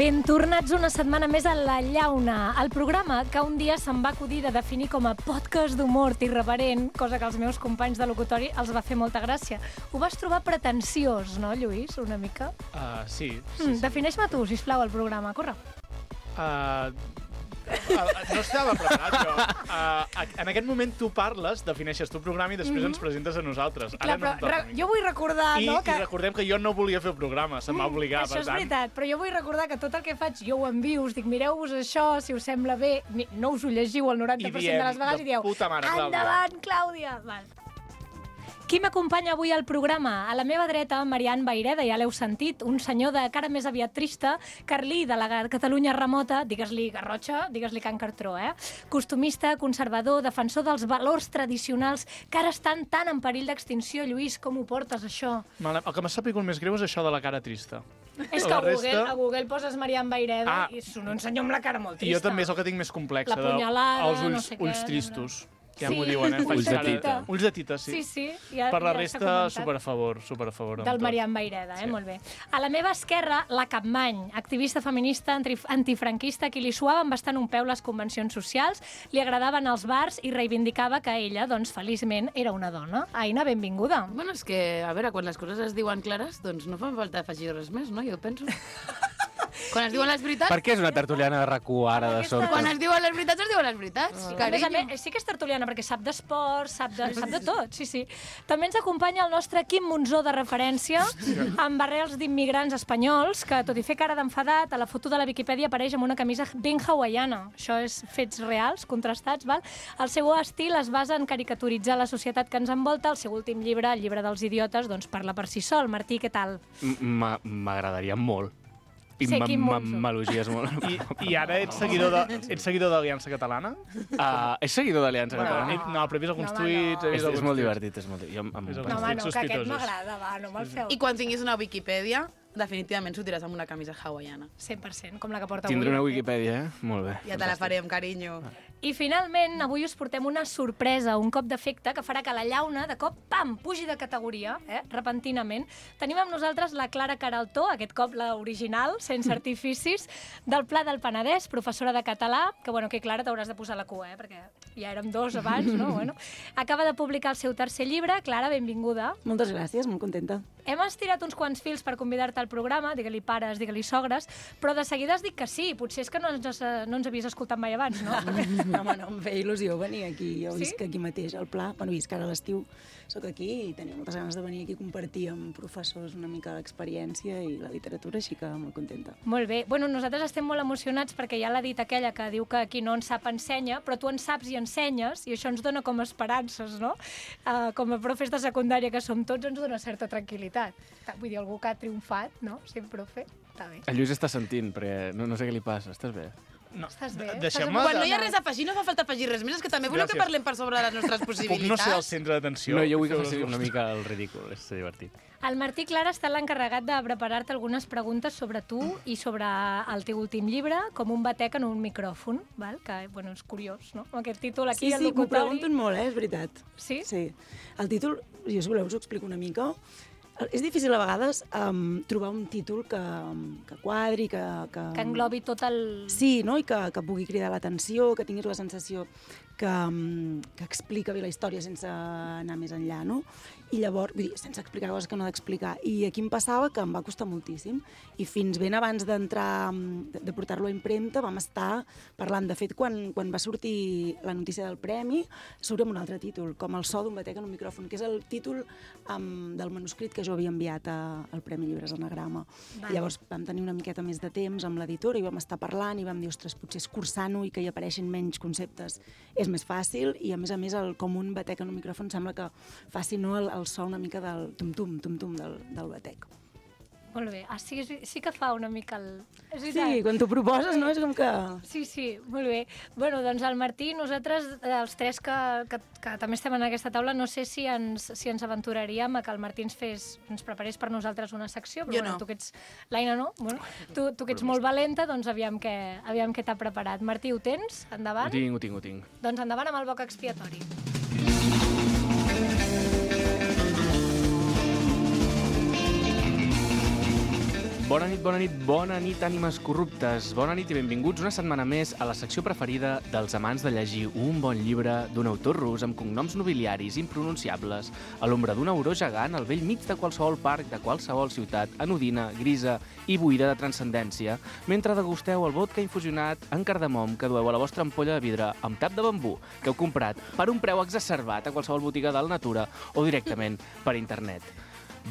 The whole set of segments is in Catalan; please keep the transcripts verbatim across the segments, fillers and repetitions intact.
Ben tornats una setmana més a La Llauna, el programa que un dia se'm va acudir de definir com a podcast d'humor irreverent, cosa que als meus companys de locutori els va fer molta gràcia. Ho vas trobar pretensiós, no, Lluís, una mica? Uh, sí. sí, Mm, sí. Defineix-me tu, sisplau, el programa. Corre. Uh, uh, no estava preparat, jo. Uh, en aquest moment tu parles, defineixes tu el programa i després mm -hmm. ens presentes a nosaltres. Clar, però no re, jo vull recordar... I, no, I que... recordem que jo no volia fer el programa, se m'ha obligat, Això per és tant... veritat, però jo vull recordar que tot el que faig jo ho envio, us dic, mireu-vos això, si us sembla bé, no us ho llegiu el noranta per cent I diem, de les vegades de i dieu, puta mare, Clàudia. endavant, Clàudia! Val. Qui m'acompanya avui al programa? A la meva dreta, Marian Baireda, ja l'heu sentit, un senyor de cara més aviat trista, Carlí, de la Catalunya remota, digues-li Garrotxa, digues-li Can Cartró, eh? Costumista, conservador, defensor dels valors tradicionals que ara estan tan en perill d'extinció. Lluís, com ho portes, això? El que m'ha sabut més greu és això de la cara trista. És que La a Google, resta- a Google poses Marian Baireda Ah. i és un senyor amb la cara molt I trista. jo també és el que tinc més complex, La punyalada, els ulls, no sé què, ulls no, no. tristos. Ja Sí. m'ho diuen, eh? Faig Ulls de cara- tita. Ulls de tita, sí. Sí, sí. Ja, Per la ja s'ha resta, comentat. super a favor, super a favor. amb Del tot. Marian Baireda, eh? Sí. Molt bé. A la meva esquerra, la Capmany, activista feminista anti antifranquista, qui li suaven bastant un peu les convencions socials, li agradaven els bars i reivindicava que ella, doncs, feliçment, era una dona. Aina, benvinguda. Bueno, és que, a veure, quan les coses es diuen clares, doncs no fa falta afegir res més, no? Jo penso. Quan es diuen les veritats... Per què és una tertuliana de rac u ara, de Aquesta- sobte? Quan es diuen les veritats, es diuen les veritats. Sí, a més Carinyo. a més, sí que és tertuliana, perquè sap d'esport, sap, de, sap de tot, sí, sí. També ens acompanya el nostre Quim Monzó de referència, amb barrels d'immigrants espanyols, que, tot i fer cara d'enfadat, a la foto de la Viquipèdia apareix amb una camisa ben hawaiana. Això és fets reals, contrastats, val? El seu estil es basa en caricaturitzar la societat que ens envolta. El seu últim llibre, el llibre dels idiotes, doncs parla per si sol. Martí, què tal? M- M'agradaria molt. I Ser m- Quim m- Monzó. m'elogies molt. I, I ara ets seguidor de, ets seguidor d'Aliança Catalana? Uh, és seguidor d'Aliança Bueno, Catalana? he- no, però he vist alguns No, home, tuits... no. he vist És, és alguns molt tuits. divertit, és molt divertit. Jo, em, em... És el- No, home, no, que aquest sospitosos. m'agrada, va, no me'l feu. I quan tinguis una Viquipèdia, definitivament sortiràs amb una camisa hawaiana. cent per cent, com la que porta Tindré avui. una Wikipedia, eh? Molt bé. Ja te la farem, carinyo. I finalment, avui us portem una sorpresa, un cop d'efecte que farà que la llauna, de cop, pam, pugi de categoria, eh, repentinament. Tenim amb nosaltres la Clara Caraltó, aquest cop la original, sense artificis, del Pla del Penedès, professora de català, que, bueno, que Clara t'hauràs de posar la cua, eh, perquè ja érem dos abans, no? Bueno, acaba de publicar el seu tercer llibre. Clara, benvinguda. Moltes gràcies, molt contenta. Hem estirat uns quants fils per convidar-te al programa, digue-li pares, digue-li sogres, però de seguida has dit que sí, potser és que no ens, no ens havies escoltat mai abans, no? No, home, no, em feia il·lusió venir aquí. Jo Sí? visc aquí mateix, al Pla. Bueno, visc ara a l'estiu, soc aquí i tenia moltes ganes de venir aquí a compartir amb professors una mica l'experiència i la literatura, així que molt contenta. Molt bé. Bueno, nosaltres estem molt emocionats perquè ja l'ha dit aquella que diu que aquí no en sap ensenya, però tu en saps i ensenyes, i això ens dona com esperances, no? Uh, com a profes de secundària que som tots, ens dona certa tranquil·litat. Vull dir, algú que ha triomfat, no? Sent profe, està bé. El Lluís està sentint, perquè no, no sé què li passa. Estàs bé? No, Estàs bé? de- Estàs Deixem-me... Quan no de- hi ha res a afegir, no fa falta afegir res més. És que també voleu que Gràcies. parlem per sobre de les nostres Puc possibilitats. no ser el centre d'atenció? No, jo vull que Feu faci les una vostres. mica el ridícul, és divertit. El Martí Clara està l'encarregat de preparar-te algunes preguntes sobre tu i sobre el teu últim llibre, com un batec en un micròfon, val? Que, bueno, és curiós, no? Amb aquest títol aquí Sí, al sí, m'ho locutori. pregunten molt, eh? És veritat. Sí? Sí. El títol, jo si voleu us ho explico una mica. És difícil a vegades um, trobar un títol que, que quadri, que... Que, Que englobi tot el... Sí, no? I que, que pugui cridar l'atenció, que tinguis la sensació que, um, que explica bé la història sense anar més enllà, no? I llavors, vull dir, sense explicar coses que no ha d'explicar. I aquí em passava que em va costar moltíssim. I fins ben abans d'entrar, um, de, de portar-lo a impremta, vam estar parlant. De fet, quan, quan va sortir la notícia del premi, surt amb un altre títol, com El so d'un batec en un micròfon, que és el títol um, del manuscrit que jo havia enviat a, al Premi Llibres Anagrama. Vale. I llavors vam tenir una miqueta més de temps amb l'editora i vam estar parlant i vam dir, ostres, potser escurçant-ho i que hi apareixin menys conceptes és més fàcil, i a més a més el, com un batec en un micròfon sembla que faci, no, el, el so una mica del tum-tum, tum-tum del, del batec. Molt bé. Ah, sí, sí, sí que fa una mica el... És Sí, veritat. quan t'ho proposes, no? És com que... Sí, sí, molt bé. Bueno, doncs el Martí, nosaltres, eh, els tres que, que, que també estem en aquesta taula, no sé si ens, si ens aventuraríem a que el Martí ens fes, ens preparés per nosaltres una secció, però Jo bueno, no. tu que ets... L'Aina no? Bueno, tu, tu que ets molt valenta, doncs aviam què, aviam què t'ha preparat. Martí, ho tens? Ho Endavant? tinc, ho tinc, ho tinc. Doncs endavant amb el boc expiatori. Bona nit, bona nit, bona nit, ànimes corruptes. Bona nit i benvinguts una setmana més a la secció preferida dels amants de llegir un bon llibre d'un autor rus amb cognoms nobiliaris impronunciables a l'ombra d'un auró gegant al vell mig de qualsevol parc de qualsevol ciutat anodina, grisa i buida de transcendència, mentre degusteu el vodka infusionat en cardamom que dueu a la vostra ampolla de vidre amb tap de bambú que heu comprat per un preu exacerbat a qualsevol botiga del Natura o directament per internet.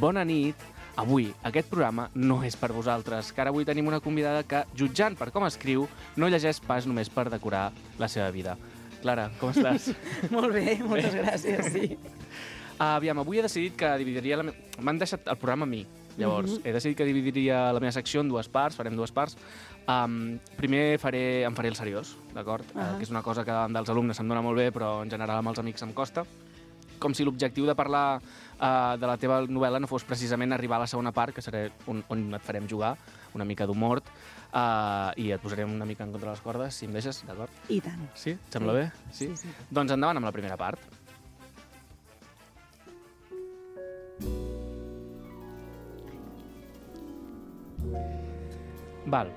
Bona nit. Avui, aquest programa no és per vosaltres, que ara avui tenim una convidada que, jutjant per com escriu, no llegeix pas només per decorar la seva vida. Clara, com estàs? Molt bé, moltes gràcies, sí. Uh, aviam, avui he decidit que dividiria... La me... M'han deixat el programa a mi, llavors. Mm-hmm. He decidit que dividiria la meva secció en dues parts, farem dues parts. Um, primer faré, em faré el seriós, d'acord? Uh -huh. uh, que és una cosa que dels alumnes se'm dona molt bé, però en general amb els amics em costa. Com si l'objectiu de parlar uh, de la teva novel·la no fos precisament arribar a la segona part, que serà on, on et farem jugar una mica d'humor, uh, i et posarem una mica en contra les cordes, si em deixes, d'acord? I tant. Sí? Et sembla sí. bé? Sí? Sí, sí. Doncs endavant amb la primera part. Val.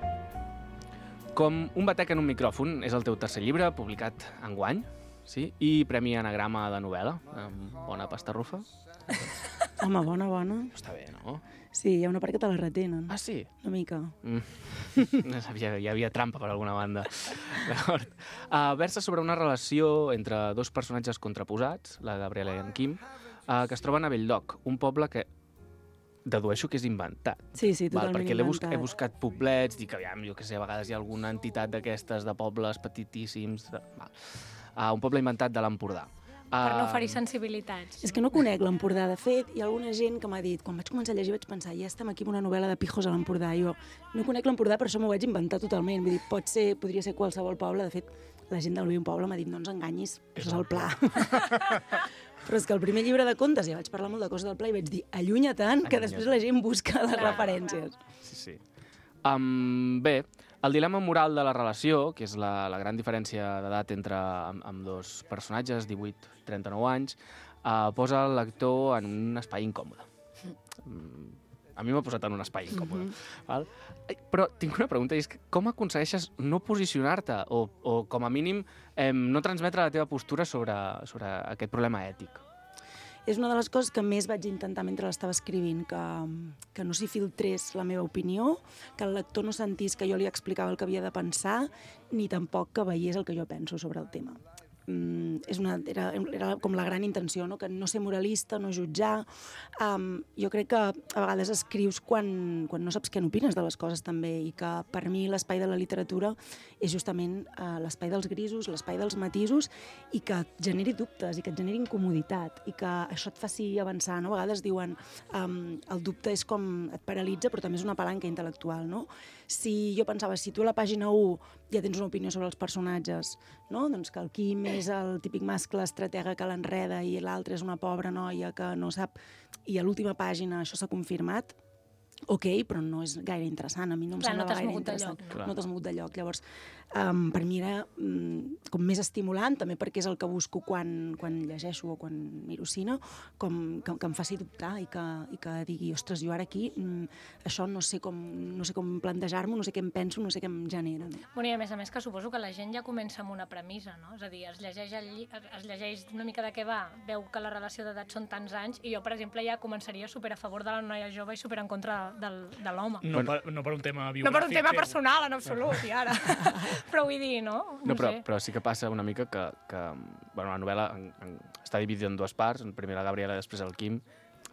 Com un batec en un micròfon és el teu tercer llibre, publicat enguany, sí? I Premi Anagrama de novel·la, amb bona pasta rufa. Home, bona, bona. Està bé, no? Sí, hi ha una part que te la retenen. Ah, sí? Una mica. Mm. No sabia, hi havia trampa per alguna banda. D'acord. Uh, versa sobre una relació entre dos personatges contraposats, la Gabriela i en Quim, uh, que es troben a Belldoc, un poble que dedueixo que és inventat. Sí, sí, totalment Val, perquè inventat. Perquè he buscat poblets, dic, aviam, jo que sé, a vegades hi ha alguna entitat d'aquestes, de pobles petitíssims... De... Val. Uh, un poble inventat de l'Empordà. Uh, Per no oferir sensibilitats. És que no conec l'Empordà. De fet, hi ha alguna gent que m'ha dit, quan vaig començar a llegir vaig pensar, ja estem aquí amb una novel·la de pijos a l'Empordà. Jo no conec l'Empordà, per això m'ho vaig inventar totalment. Vull dir, pot ser, podria ser qualsevol poble. De fet, la gent del meu poble m'ha dit, no ens enganyis, això és el Pla. Però és que el primer llibre de contes, ja vaig parlar molt de coses del Pla i vaig dir, allunya tant, que després la gent busca les Clar, referències. Sí, sí. Um, bé, el dilema moral de la relació, que és la, la gran diferència d'edat entre amb, amb dos personatges, divuit i trenta-nou anys, uh, posa el lector en un espai incòmode. Mm, a mi m'ha posat en un espai incòmode. Mm-hmm. Val? Però tinc una pregunta, i és que com aconsegueixes no posicionar-te o, o com a mínim, eh, no transmetre la teva postura sobre, sobre aquest problema ètic? És una de les coses que més vaig intentar mentre l'estava escrivint, que, que no s'hi filtrés la meva opinió, que el lector no sentís que jo li explicava el que havia de pensar, ni tampoc que veiés el que jo penso sobre el tema. Mm, és una, era, era com la gran intenció, no? Que no ser moralista, no jutjar. Um, jo crec que a vegades escrius quan, quan no saps què n'opines de les coses també, i que per mi l'espai de la literatura és justament uh, l'espai dels grisos, l'espai dels matisos, i que et generi dubtes, i que et generi incomoditat, i que això et faci avançar, no? A vegades diuen um, el dubte és com et paralitza, però també és una palanca intel·lectual, no? Si jo pensava, si tu a la pàgina u ja tens una opinió sobre els personatges, no? Doncs que el Quim és el típic mascle estratega que l'enreda i l'altre és una pobra noia que no sap, i a l'última pàgina això s'ha confirmat, ok, però no és gaire interessant, a mi no em Clar, semblava no t'has gaire mogut de interessant. lloc, no? No t'has mogut de lloc. Llavors, um, per mi era um, com més estimulant, també perquè és el que busco quan, quan llegeixo o quan miro cine, com, que, que em faci dubtar i que, i que digui, ostres, jo ara aquí um, això no sé com, no sé com plantejar-m'ho, no sé què em penso, no sé què em genera. No? Bueno, i a més a més que suposo que la gent ja comença amb una premissa, no? És a dir, es llegeix, el lli... es llegeix una mica de què va, veu que la relació d'edat són tants anys, i jo, per exemple, ja començaria super a favor de la noia jove i super en contra del, de l'home. No, Bueno. per, no per un tema biogràfic. No per un tema teu. personal, en absolut, i ara. Però vull dir, no? No, però, sé. però sí que passa una mica que, que bueno, la novel·la en, en, està dividida en dues parts, primer la Gabriela i després el Quim,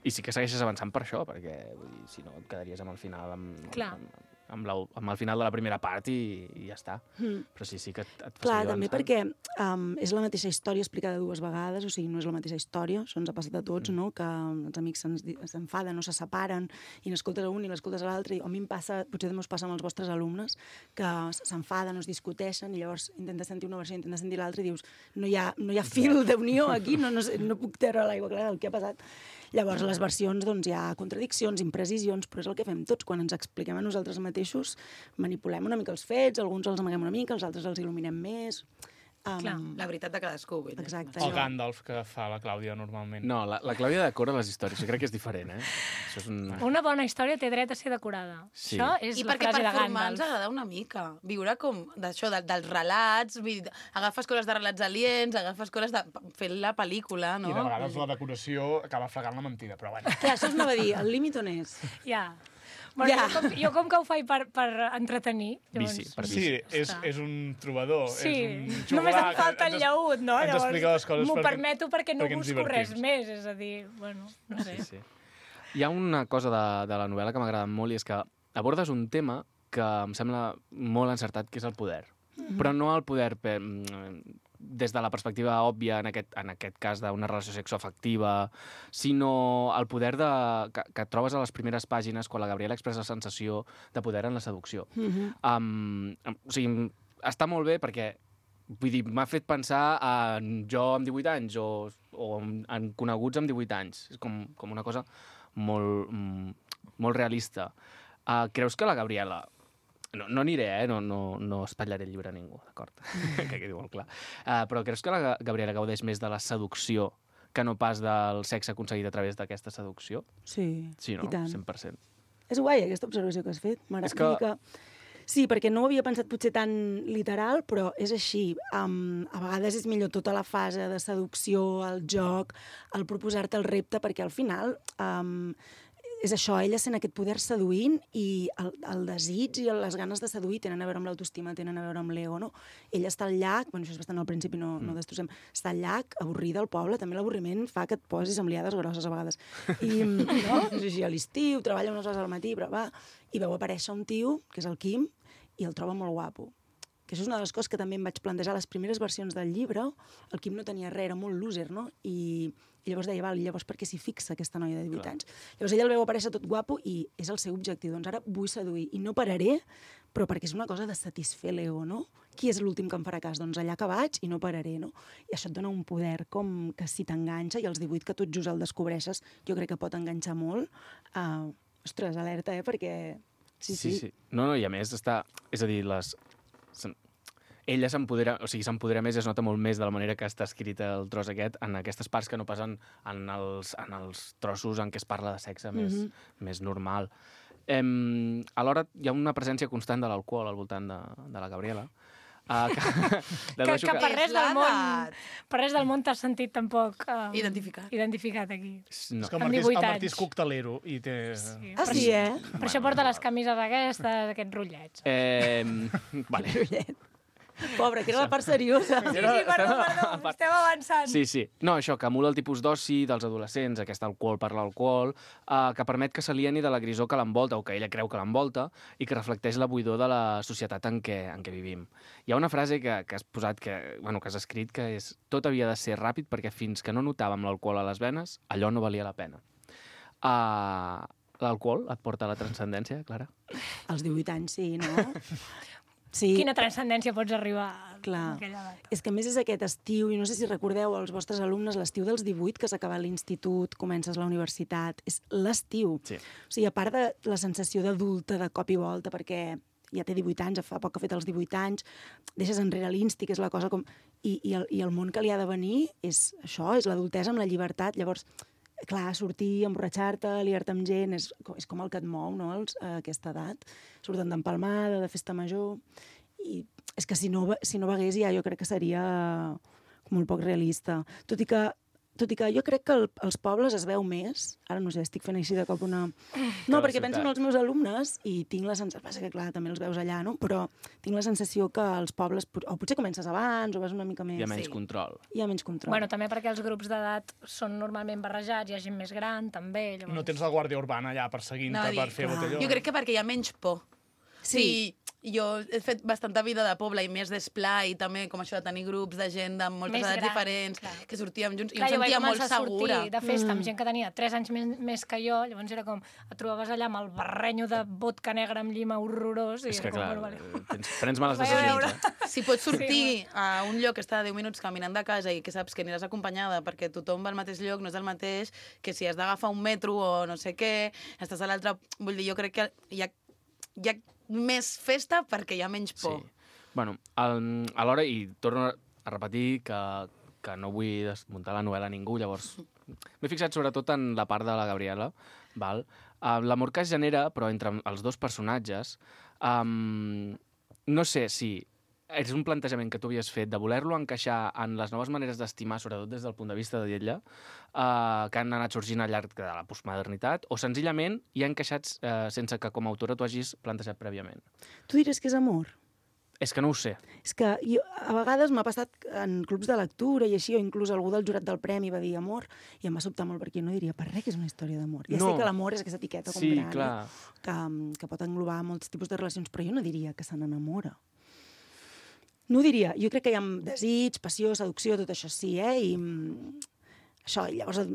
i sí que segueixes avançant per això, perquè vull dir, si no et quedaries amb el final amb, Clar. amb, amb, la, amb el final de la primera part i, i ja està. Mm. Però sí, sí que et, et fa Clar, seguir també avançant. perquè um, és la mateixa història explicada dues vegades, o sigui, no és la mateixa història, això ens ha passat a tots, no? Que els amics s'enfaden o se separen i n'escoltes a un i l'escoltes a l'altre, i a mi em passa, potser també us passa amb els vostres alumnes, que s'enfaden o es discuteixen i llavors intentes sentir una versió, intentes sentir l'altra i dius, no hi ha, no hi ha fil d'unió aquí, no, no, sé, no puc treure l'aigua clara del que ha passat. Llavors, les versions, doncs, hi ha contradiccions, imprecisions, però és el que fem tots. Quan ens expliquem a nosaltres mateixos, manipulem una mica els fets, alguns els amaguem una mica, els altres els il·luminem més. Clar. Um, La veritat de cadascú. Vull dir. Exacte. El Gandalf que fa la Clàudia normalment. No, la, la Clàudia decora les històries, jo crec que és diferent, eh? Això és un... Una bona història té dret a ser decorada. Sí. Això és I la perquè frase per de formar ens Gandalf. agrada una mica. Viure com d'això, de, dels relats, vull dir, agafes coses de relats aliens, agafes coses de... fent la pel·lícula, no? I de vegades la decoració acaba fregant la mentida, però bueno. Clar, això us anava a dir, el límit on és? Ja. Bueno, Ja. jo, com, jo com que ho faig per, per entretenir... Bici, per Sí, és, Està. és un trobador, Sí, és un només joglar em falta que el llaüt, no? ens explica les coses m'ho perquè- permeto perquè no perquè ens busco res divertim. més, és a dir, bueno, no sé. Sí, sí. Hi ha una cosa de, de la novel·la que m'agrada molt i és que abordes un tema que em sembla molt encertat, que és el poder. Mm-hmm. Però no el poder per, des de la perspectiva òbvia, en aquest, en aquest cas d'una relació sexoafectiva, sinó el poder de, que, que trobes a les primeres pàgines quan la Gabriela expressa la sensació de poder en la seducció. Mm-hmm. Um, o sigui, està molt bé perquè vull dir, m'ha fet pensar en jo amb divuit anys o, o en, en coneguts amb divuit anys. És com, com una cosa molt, mm, molt realista. Uh, creus que la Gabriela... No, no aniré, eh? No, no, no espatllaré el llibre a ningú, d'acord? que quedi molt clar. Uh, però creus que la Gabriela gaudeix més de la seducció que no pas del sexe aconseguit a través d'aquesta seducció? Sí, Sí, no? i tant. cent per cent. És guai, aquesta observació que has fet. M'agrada És que- que... Sí, perquè no ho havia pensat potser tan literal, però és així. Um, a vegades és millor tota la fase de seducció, el joc, el proposar-te el repte, perquè al final um, és això, ella sent aquest poder seduint i el, el desig i les ganes de seduir tenen a veure amb l'autoestima, tenen a veure amb l'ego, no? Ella està al llac, bueno, això és bastant al principi, no, no destrossem, està al llac, avorrida al poble, també l'avorriment fa que et posis amb liades grosses a vegades. I, no? És així, a l'estiu, treballa unes hores al matí, però va, i veu aparèixer un tio, que és el Quim, i el troba molt guapo. Que això és una de les coses que també em vaig plantejar a les primeres versions del llibre. El Quim no tenia res, era molt loser, no? I, i llavors deia, val, i llavors per què s'hi fixa aquesta noia de divuit Clar. anys? Llavors ella el veu aparèixer tot guapo i és el seu objectiu. Doncs ara vull seduir i no pararé, però perquè és una cosa de satisfer l'ego, no? Qui és l'últim que em farà cas? Doncs allà que vaig i no pararé, no? I això et dona un poder com que si t'enganxa, i als divuit que tot just el descobreixes, jo crec que pot enganxar molt. Uh, ostres, alerta, eh? Perquè... Sí, sí. sí. No, no, i a més està... És a dir, les... se'n- ella s'empodera, o sigui, s'empodera més i es nota molt més de la manera que està escrit el tros aquest en aquestes parts que no passen en els, en els trossos en què es parla de sexe més, Mhm. més normal. Em, alhora, hi ha una presència constant de l'alcohol al voltant de, de la Gabriela. Uh, que, Que, dedueixo que per És res del món, l'edat. per res del món t'has sentit tampoc uh, Identificat. identificat aquí. No. És que el Amb Martí, divuit el Martí anys. és coctelero i té... Sí. Ah, Per sí, això- eh? Per això porta les camises aquestes, aquests rotllets. Eh, vale. Brullet. Pobre, que era la part seriosa. Sí, sí, perdó, perdó, estem avançant. Sí, sí. No, això, que emula el tipus d'oci dels adolescents, aquest alcohol per l'alcohol, eh, que permet que s'alieni de la grisor que l'envolta, o que ella creu que l'envolta, i que reflecteix la buidor de la societat en què, en què vivim. Hi ha una frase que, que has posat, que, bueno, que has escrit, que és tot havia de ser ràpid perquè fins que no notàvem l'alcohol a les venes, allò no valia la pena. Uh, L'alcohol et porta a la transcendència, Clara? Als divuit anys, sí, no? Sí. Quina transcendència pots arribar Clar. a aquella edat? És que a més és aquest estiu, i no sé si recordeu els vostres alumnes, l'estiu dels divuit, que has acabat l'institut, comences la universitat, és l'estiu. Sí. O sigui, a part de la sensació d'adulta de cop i volta, perquè ja té divuit anys, fa poc que ha fet els divuit anys, deixes enrere l'insti, que és la cosa com... I, i, el, I el món que li ha de venir és això, és l'adultesa amb la llibertat. Llavors, clar, sortir, emborratxar-te, liar-te amb gent, és, és com el que et mou, no?, els, a aquesta edat. Surten d'empalmada, de festa major... I és que si no, si no begués ja jo crec que seria molt poc realista. Tot i que, tot i que jo crec que el, als pobles es veu més. Ara no sé, estic fent així de cop una... No, la perquè ciutat. penso en els meus alumnes i tinc la sensació... Passa que, clar, també els veus allà, no? Però tinc la sensació que als pobles... O potser comences abans o vas una mica més... Hi ha menys Sí. control. Hi ha menys control. Bueno, també perquè els grups d'edat són normalment barrejats, hi ha gent més gran, també. Llavors... No tens la Guàrdia Urbana allà perseguint-te No, per dic, fer clar. botelló. Jo crec que perquè hi ha menys por. Sí. Sí. Jo he fet bastanta vida de poble i més d'esplai, també com això de tenir grups de gent de moltes Més edats gran, diferents, clar. que sortíem junts, Clar, i jo em vaig sentia molt començar a sortir segura. de festa Mm. amb gent que tenia tres anys més, més que jo, llavors era com, et trobaves allà amb el barrenyo de vodka negra amb llima horrorós. I És que, era com, clar, bueno, vale. tens, prens males Vaig a decisions. veure. Eh? Si pots sortir a un lloc que està a deu minuts caminant de casa i que saps que aniràs acompanyada perquè tothom va al mateix lloc, no és el mateix que si has d'agafar un metro o no sé què, estàs a l'altre... Vull dir, jo crec que hi ha, hi ha més festa perquè hi ha menys por. Sí. Bueno, el, alhora, i torno, a repetir que, que no vull desmuntar la novel·la a ningú, llavors m'he fixat sobretot en la part de la Gabriela, val? Uh, l'amor que es genera, però entre els dos personatges, um, no sé si és un plantejament que tu havies fet de voler-lo encaixar en les noves maneres d'estimar, sobretot des del punt de vista d'ella, uh, que han anat sorgint al llarg de la postmodernitat, o senzillament hi ha encaixats uh, sense que com a autora tu hagis plantejat prèviament. Tu diries que és amor? És que no ho sé. És que jo, a vegades m'ha passat en clubs de lectura i així, o inclús algú del jurat del premi va dir amor, i em va sobtar molt perquè jo no diria per res que és una història d'amor. Ja No. sé que l'amor és aquesta etiqueta com Sí, gran, clar. eh, que, que pot englobar molts tipus de relacions, però jo no diria que se n'enamora. No ho diria. Jo crec que hi ha desig, passió, seducció, tot això sí, eh? I mm, això, i llavors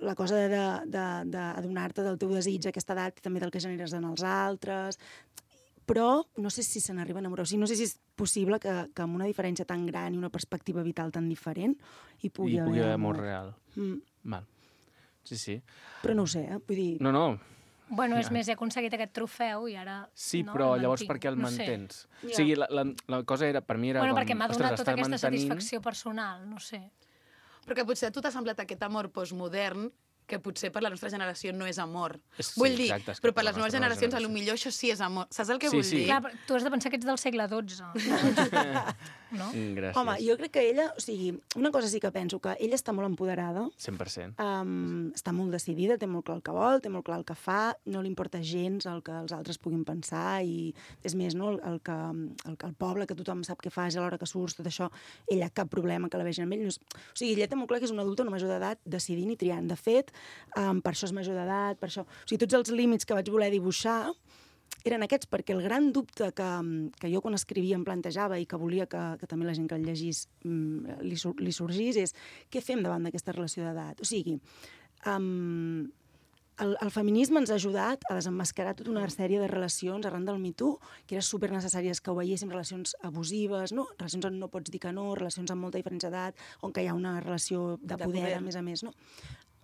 la cosa de- de- d'adonar-te del teu desig a aquesta edat i també del que generes en els altres, però no sé si se n'arriba a enamorar. O sigui, no sé si és possible que, que amb una diferència tan gran i una perspectiva vital tan diferent hi pugui, I pugui haver amor. amor real. Mm. Val. Sí, sí. Però no ho sé, eh? Vull dir... No, no, Bueno, és més, he aconseguit aquest trofeu i ara... sí, no, però el llavors mantinc. per què el No sé. mantens? Ja. O sigui, la, la, la cosa era, per mi era Bueno, com... perquè m'ha ostres, donat tota estar aquesta mantenint- satisfacció personal, no sé. Però que potser a tu t'ha semblat aquest amor postmodern que potser per la nostra generació no és amor. És- sí, vull dir, exacte, és que però per per la les noves nostra generacions, generació. a lo millor això sí és amor. Saps el que Sí, vull sí. dir? Clar, però tu has de pensar que ets del segle dotze. no? Mm, Gràcies. Home, jo crec que ella... O sigui, una cosa sí que penso, que ella està molt empoderada, cent per cent. um, està molt decidida, té molt clar el que vol, té molt clar el que fa, no li importa gens el que els altres puguin pensar i, és més, no, el, el, que, el, que el poble, que tothom sap què fas a l'hora que surts, tot això, ella cap problema que la vegin amb ell. No és... O sigui, ella té molt clar que és una adulta, una major d'edat, decidint i triant. De fet, um, per això és major d'edat, per això... O sigui, tots els límits que vaig voler dibuixar eren aquests, perquè el gran dubte que, que jo quan escrivia em plantejava i que volia que, que també la gent que el llegís mm, li, sur- li sorgís és què fem davant d'aquesta relació d'edat? O sigui, um, el, el feminisme ens ha ajudat a desemmascarar tota una sèrie de relacions arran del Me Too, que eren super necessàries que ho veiéssim, relacions abusives, no? Relacions on no pots dir que no, relacions amb molta diferència d'edat, on que hi ha una relació de, De poder, poder. a més a més, no?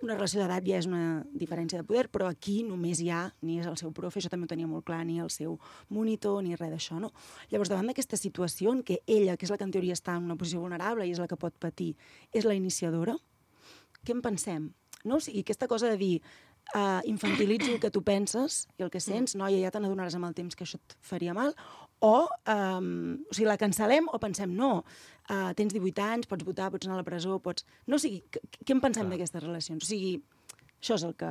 Una relació d'edat ja és una diferència de poder, però aquí només hi ha, ni és el seu profe, això també ho tenia molt clar, ni el seu monitor, ni res d'això, no? Llavors, davant d'aquesta situació en què ella, que és la que en teoria està en una posició vulnerable i és la que pot patir, és la iniciadora, què en pensem? No? O sigui, aquesta cosa de dir uh, infantilitzo el que tu penses i el que sents, noia, ja te n'adonaràs amb el temps que això et faria mal, o, um, o sigui, la cancel·lem o pensem, no, uh, tens divuit anys, pots votar, pots anar a la presó, pots... No, o sigui, què, què en pensem d'aquestes relacions? O sigui, això és el que...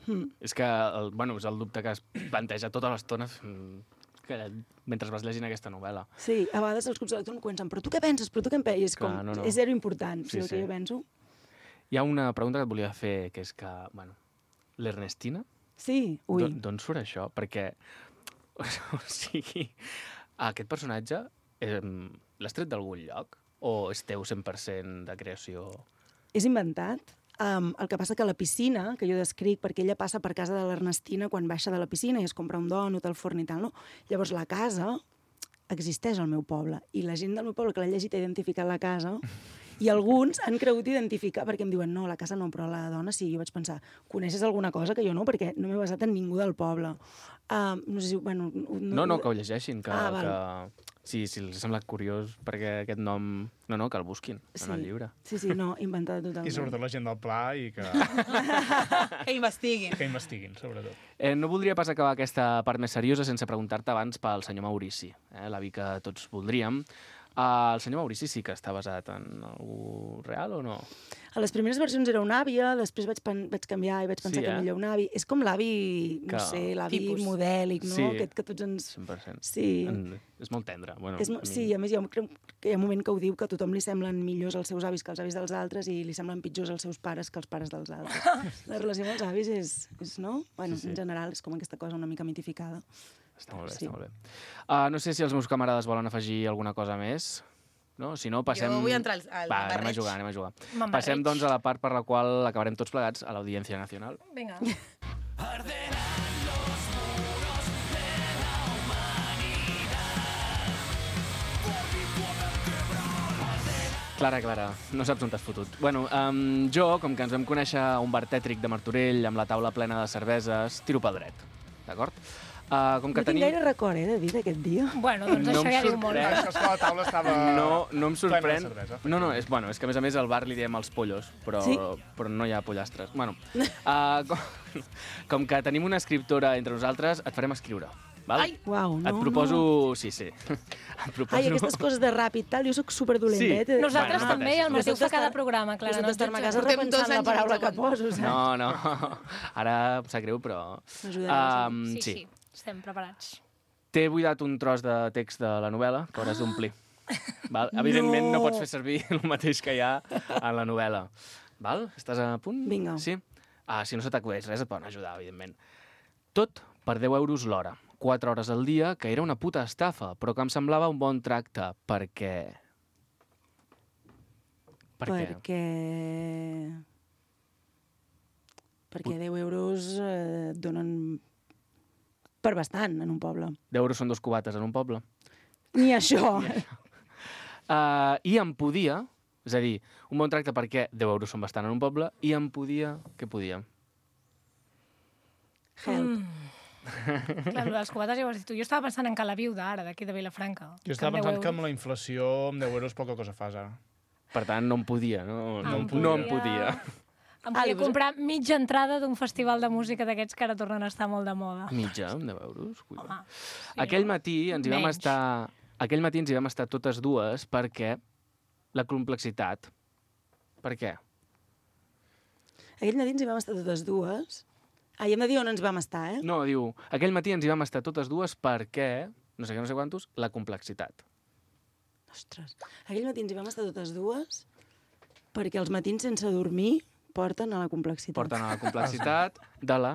Hmm. És que, el, bueno, és el dubte que es planteja tota l'estona mm, que, mentre vas llegint aquesta novel·la. Sí, a vegades els clubs de lectura em comencen, però tu què penses? Però tu què en penses? És, com, Clar, no, no. és zero important, Sí, sí, el sí. que jo penso. Hi ha una pregunta que et volia fer, que és que, bueno, l'Ernestina, Sí, ui. d'on surt això? Perquè, o sigui, aquest personatge eh, l'has tret d'algun lloc? O és teu cent per cent de creació? És inventat. Um, el que passa que la piscina, que jo descric, perquè ella passa per casa de l'Ernestina quan baixa de la piscina i es compra un dònut al forn i tal, no? Llavors la casa existeix al meu poble i la gent del meu poble que l'ha llegit ha identificat la casa i alguns han cregut identificar perquè em diuen, no, la casa no, però la dona sí. Jo vaig pensar, coneixes alguna cosa que jo no? Perquè no m'he basat en ningú del poble. Um, no sé si... Bueno, No, no, que ho llegeixin, que, Ah, val. que sí, si els ha semblat curiós perquè aquest nom... No, no, que el busquin en el llibre. Sí, sí, no, inventada totalment. I sobretot la gent del Pla i que, Que investiguin. que investiguin, sobretot. Eh, no voldria pas acabar aquesta part més seriosa sense preguntar-te abans pel senyor Maurici, eh, l'avi que tots voldríem. Uh, el senyor Maurici sí que està basat en algú real o no? A les primeres versions era una àvia, després vaig, pen vaig canviar i vaig pensar Sí, que eh? millor un avi. És com l'avi, no Que- sé, l'avi Tipus. modèlic, no? Sí. Aquest que tots ens... cent per cent. Sí. En, és molt tendre. Bueno, És, mo- a mi- sí, a més, jo crec que hi ha un moment que ho diu, que a tothom li semblen millors els seus avis que els avis dels altres i li semblen pitjors els seus pares que els pares dels altres. La relació amb els avis és, és no? Bueno, Sí, sí. en general és com aquesta cosa una mica mitificada. Està molt bé, Sí. està molt bé. Uh, no sé si els meus camarades volen afegir alguna cosa més. No? Si no, passem... Jo vull entrar al- al Va, anem a barreig. jugar, anem a jugar. Me'n Passem, barreig. doncs, a la part per la qual acabarem tots plegats a l'Audiència Nacional. Vinga. Clara, Clara, no saps on t'has fotut. Bueno, um, jo, com que ens vam conèixer a un bar tètric de Martorell amb la taula plena de cerveses, tiro pel dret, d'acord? Uh, com que No tinc tenim... gaire record, eh, David, aquest dia. Bueno, doncs No això em ja diu molt. sorprèn. És que la taula estava... No, no em plena de sorprèn. cervesa, No, no, és, bueno, és que a més a més al bar li diem els pollos, però, Sí? però no hi ha pollastres. Bueno, uh, com, com que tenim una escriptora entre nosaltres, et farem escriure. Val? Ai! Uau, no, et proposo... No. Sí, sí. Et proposo... Ai, aquestes coses de ràpid, tal, jo sóc superdolenta. Sí. Nosaltres Bueno, no també, i el pateixis. Mateu fa Resulta cada estar- programa, Clara. Resulta no ens estar-me a casa jutgem. Portem dos repensant la anys paraula i mig que poso, saps? No, no. Ara em sap greu, però... M'ajudaràs. Um, Sí, sí. sí, estem preparats. T'he buidat un tros de text de la novel·la que hauràs d'omplir. Val? Evidentment no. No. pots fer servir el mateix que hi ha en la novel·la. Val? Estàs a punt? Vinga. Sí? Ah, si no se t'acudeix res, et poden ajudar, evidentment. Tot per deu euros l'hora. quatre hores al dia, que era una puta estafa, però que em semblava un bon tracte, perquè... Per què? Perquè... Perquè deu euros eh, et donen per bastant en un poble. deu euros són dos cubates en un poble. Ni això. Uh, I em podia, és a dir, un bon tracte perquè deu euros són bastant en un poble, i em podia... Què podia? Help. Mm. Clar, lo dels cubates ja ho has dit tu. Jo estava pensant en Cala Viuda, ara, d'aquí de Vilafranca. Jo estava amb deu pensant que euros. amb la inflació, amb deu euros, poca cosa fas, ara. Per tant, no em podia, no, no, Em em, no em podia. Em Ah, li podia vas- comprar mitja entrada d'un festival de música d'aquests que ara tornen a estar molt de moda. Mitja, amb deu euros. Cuida. Home, sí, Aquell no? matí ens hi vam Menys. estar... Aquell matí ens hi vam estar totes dues perquè la complexitat... Per què? Aquell matí ens hi vam estar totes dues. Ah, i hem de dir on ens vam estar, eh? No, diu, aquell matí ens hi vam estar totes dues perquè, no sé què, no sé quantos, la complexitat. Ostres. Aquell matí ens hi vam estar totes dues perquè els matins sense dormir porten a la complexitat. Porten a la complexitat de la,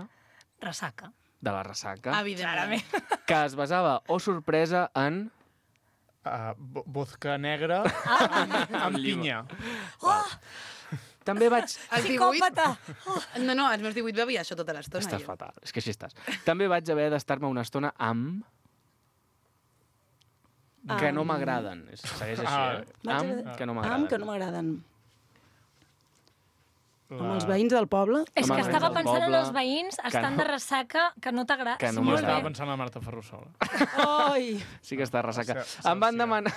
Ressaca. de la ressaca, Evidentment. que es basava, o sorpresa, en... Uh, vo- vodka negra Ah. amb, amb pinya. També vaig... Els divuit... Psicòpata! No, no, als meus divuit bevia això tota l'estona. Estàs jo. fatal, és que així estàs. També vaig haver d'estar-me una estona amb... Que no Amb- m'agraden. És- Segueix així, Ah. eh? Vaig Amb haver- que no m'agraden. Amb que no m'agraden. La... Amb els veïns del poble. És Home, que estava del pensant en poble, els veïns, estan no- de ressaca, que no t'agrada. que no Sí, molt Estava bé. pensant en la Marta Ferrusola. Ai! Sí que està ressaca. Se- se- Em van, se- demanar,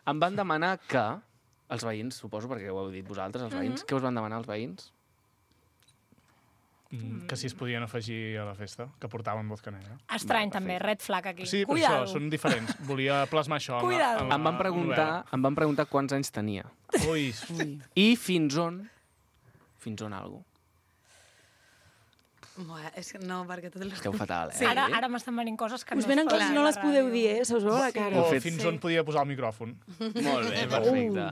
em van demanar que... Els veïns, suposo, perquè ho heu dit vosaltres, els veïns. Què us van demanar els veïns? Mm, que si es podien afegir a la festa, que portaven vodka negra. Estrany, també, red flag aquí. Sí, per Cuidado. això, són diferents. Volia plasmar això en la, Cuidado. en la Em van preguntar, em van preguntar quants anys tenia. novel·la. Ui, Ui. I fins on... Fins on algo. Buah, és que no, perquè tot el... Esteu fatal, eh? Sí. Ara, ara m'estan venint coses que Us no venen es coses poden no dir a les la podeu ràdio. dir, eh? Se us veu a la cara. Ho o fet, fins sí. on podia posar el micròfon. Molt bé, perfecte.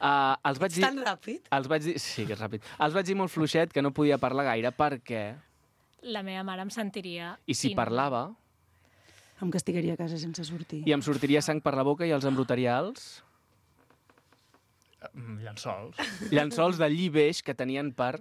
Uh, els vaig dir... Tan ràpid? Els vaig dir... Sí, que és ràpid. Els vaig dir molt fluixet que no podia parlar gaire perquè... La meva mare em sentiria... I si in- parlava, Em castigaria a casa sense sortir. i em sortiria sang per la boca i els embrutaria els Mm, Llençols. llençols de lli beix que tenien per...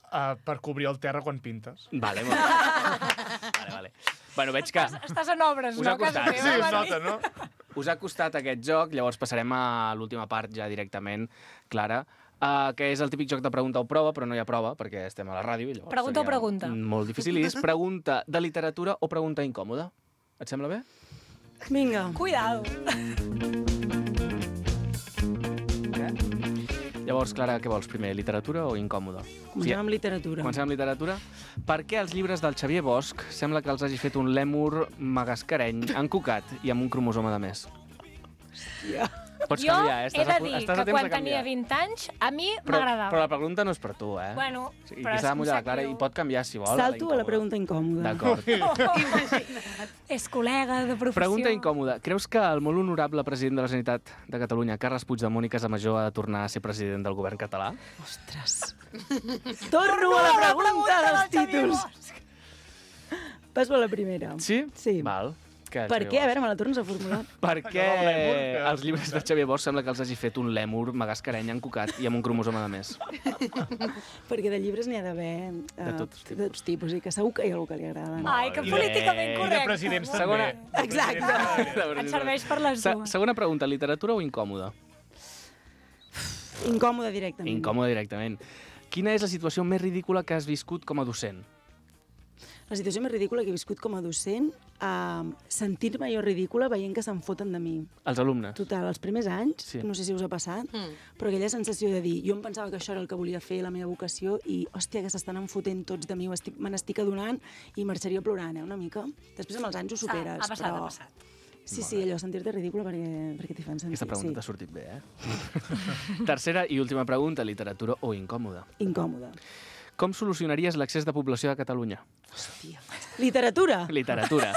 Uh, per cobrir el terra quan pintes. Vale, molt bé. Vale, vale. Bueno, veig que Estàs, estàs en obres, Us no? ha costat. Casa Sí, teva, es Mari? nota, no? us ha costat aquest joc, llavors passarem a l'última part ja directament, Clara, uh, que és el típic joc de pregunta o prova, però no hi ha prova perquè estem a la ràdio. I llavors Pregunta o seria pregunta? Molt difícil. I és pregunta de literatura o pregunta incòmoda. Et sembla bé? Vinga. Cuidado. Llavors, Clara, què vols primer, literatura o incòmoda? Comencem amb literatura. Comencem amb literatura. Per què els llibres del Xavier Bosch sembla que els hagi fet un lèmur magascareny, encocat i amb un cromosoma de més? Hòstia. Pots Jo canviar, eh? he Estàs de a, pu- dir estàs a que temps quan de canviar. tenia vint anys, a mi Però, m'agradava. però la pregunta no és per tu, eh? Bueno, O sigui, però aquí s'ha de em mullar la sap Clara greu. i pot canviar, si vol. Salto a la incòmoda. pregunta incòmoda. D'acord. És col·lega de professió. Pregunta incòmoda. Creus que el molt honorable president de la Generalitat de Catalunya, Carles Puigdemont i Casamajor, ha de tornar a ser president del govern català? Ostres. Torno a la pregunta dels títols. Passo a la primera. Sí? Sí. Val. Què, Per Xavier què? A Bosch? veure, me la tornes a formular. Per què el lèmur, que- els llibres de Xavier Bosch sembla que els hagi fet un lèmur magascareny encocat i amb un cromosoma de més? Perquè de llibres n'hi ha d'haver eh, De tots tipus. de tots tipus, i que segur que hi ha algú que li agrada. Ai, que I de- políticament I de correcte. presidents també. Segona- De Exacte. presidents també. Et serveix per les Se dues. segona pregunta, literatura o incòmoda? Incòmode directament. Incòmoda directament. Quina és la situació més ridícula que has viscut com a docent? la situació més ridícula que he viscut com a docent, uh, sentir-me jo ridícula veient que se'n foten de mi. Els alumnes. Total, els primers anys, Sí. no sé si us ha passat, Mm. però aquella sensació de dir, jo em pensava que això era el que volia fer, la meva vocació, i, hòstia, que s'estan enfotent tots de mi, ho estic- me n'estic adonant i marxaria plorant, eh, una mica. Després amb els anys ho superes, ha passat, però... ha passat. Sí, sí, allò, sentir-te ridícula perquè, perquè t'hi fan sentir. Aquesta pregunta sí. t'ha sortit bé, eh? Tercera i última pregunta, literatura o incòmoda. Incòmode. Com solucionaries l'accés de població a Catalunya? Hòstia. Literatura! Literatura.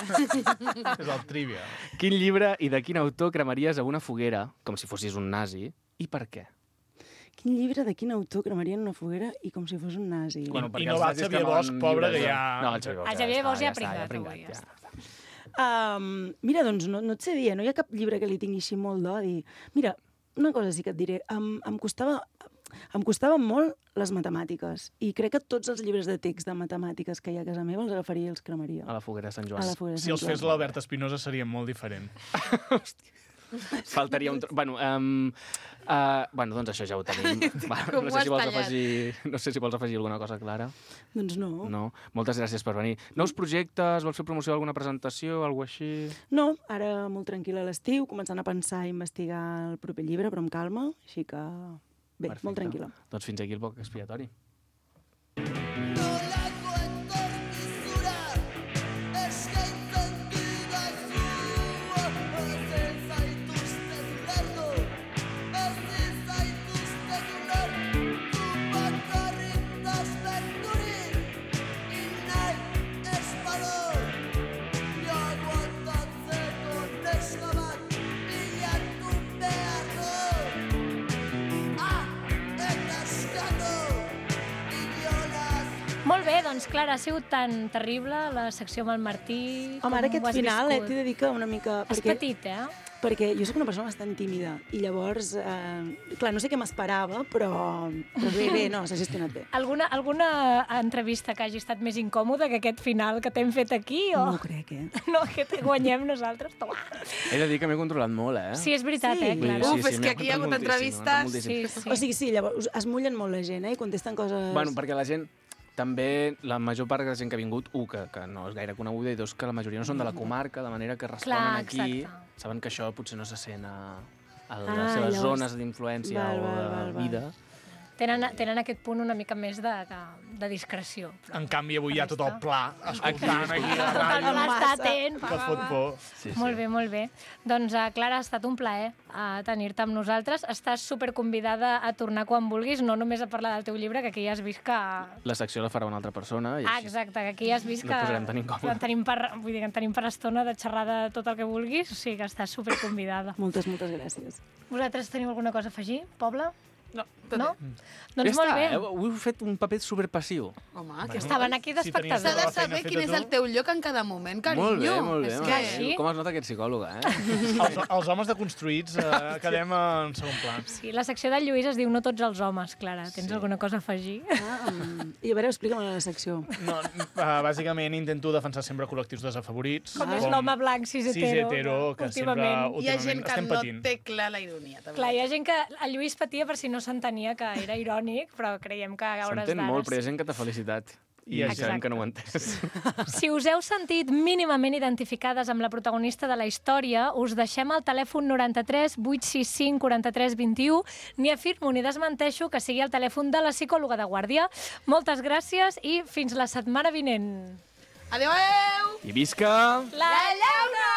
És el trivia. Quin llibre i de quin autor cremaries a una foguera, com si fossis un nazi, i per què? Quin llibre de quin autor cremarien una foguera i com si fos un nazi? Bueno, perquè I no els va nazis Xavier cremen Bosch, pobre, llibres que de- ja- No, el Xavier Bosch El Xavier Bosch ja ha està, pringat, està, avui, ja ja. està. Um, mira, doncs no, no et sé dir, eh? No hi ha cap llibre que li tingui així molt d'odi. Mira, una cosa sí que et diré, em, em costava... Em costaven molt les matemàtiques i crec que tots els llibres de text de matemàtiques que hi ha a casa meva els agafaria i els cremaria. A la foguera de Sant Joan. A la foguera de Si els Sant fes Joan. l'Albert Espinosa seria molt diferent. Faltaria un... tro- Bueno, um, uh, bueno, doncs això ja ho tenim. Va, Com no ho sé has si vols tallat? afegir... No sé si vols afegir alguna cosa, Clara. Doncs no. no. No? Moltes gràcies per venir. Nous projectes? Vols fer promoció d'alguna presentació? Alguna així? No, ara molt tranquil·la a l'estiu, començant a pensar i investigar el proper llibre, però amb calma, així que bé, Perfecte. molt tranquil·la. Doncs fins aquí el poc expiatori. Nolako etorkizura eskaintzen didazu ezin zaituzte ulertu ezin zaituzte ulertu bakarrik desberturik inahi ez badu aguantatzeko neska bat bilatu behar du ah, eta eskatu Molt bé, doncs, Clara, ha sigut tan terrible la secció amb el Martí. Home, ara com aquest ho has final eh, viscut? t'he de dir que una mica... És perquè, petit, eh? perquè jo sóc una persona bastant tímida i llavors, eh, clar, no sé què m'esperava, però, però bé, bé, no, s'ha gestionat bé. Alguna, alguna entrevista que hagi estat més incòmoda que aquest final que t'hem fet aquí? O... No ho crec, eh? No, que te guanyem nosaltres. Toma. He de dir que m'he controlat molt, eh? Sí, és veritat, Sí. eh, Clara? Uf, és que aquí hi ha hagut m'he apuntat moltíssim, m'he apuntat entrevistes. moltíssim. Sí, sí. O sigui, sí, llavors es mullen molt la gent, eh? I contesten coses... Bueno, perquè la gent, també, la major part de la gent que ha vingut, un, que, que no és gaire coneguda, i dos, que la majoria no són de la comarca, de manera que responen Clar, aquí, exacte. saben que això potser no se sent a, a les Ah, seves llavors- zones d'influència Val, o val, de val, val. vida. Tenen, tenen aquest punt una mica més de, de discreció. En canvi, avui hi ha tot el pla, escoltant aquí a la Tot el ràdio, pla està atent. que fot por. Sí, Molt bé, molt bé. Doncs, uh, Clara, ha estat un plaer uh, tenir-te amb nosaltres. Estàs superconvidada a tornar quan vulguis, no només a parlar del teu llibre, que aquí ja has vist que... La secció la farà una altra persona. I Ah, així. exacte, que aquí ja has vist No que... et posarem tan incòmode. en tenim per, vull dir, que en tenim per estona de xerrar de tot el que vulguis, o sigui que estàs superconvidada. Moltes, moltes gràcies. Vosaltres teniu alguna cosa a afegir, Pobla? No, tot No? bé. Doncs ja molt està, bé. eh? Heu fet un paper superpassiu. Home, Bueno. que Estaven aquí Si tenies S'ha d'espectadors. de la feina saber quin feta és tu. el teu lloc en cada moment, carinyo. Molt bé, molt bé. És molt que... bé. sí. Com es nota que ets psicòloga, eh? Els, els homes deconstruïts eh, quedem en segon pla. Sí, la secció del Lluís es diu No tots els homes, Clara. Tens Sí. alguna cosa a afegir? Ah, um, I a veure, explica'm la secció. No, uh, bàsicament intento defensar sempre col·lectius desafavorits. Com és l'home blanc cis cis hetero, hetero, que sempre últimament. Hi ha últimament gent que estem no patint. té clar la ironia, també. Clar, hi ha gent que el Lluís patia per si no s'entenia que era irònic, però creiem que a hores S'entén d'ara... molt, però hi ha gent que t'ha felicitat. I Exacte. sabem que no ho ha entès. Si us heu sentit mínimament identificades amb la protagonista de la història, us deixem el telèfon noranta-tres vuit sis cinc quaranta-tres vint-i-u. Ni afirmo ni desmenteixo que sigui el telèfon de la psicòloga de guàrdia. Moltes gràcies i fins la setmana vinent. Adéu, adéu! I visca... La llauna!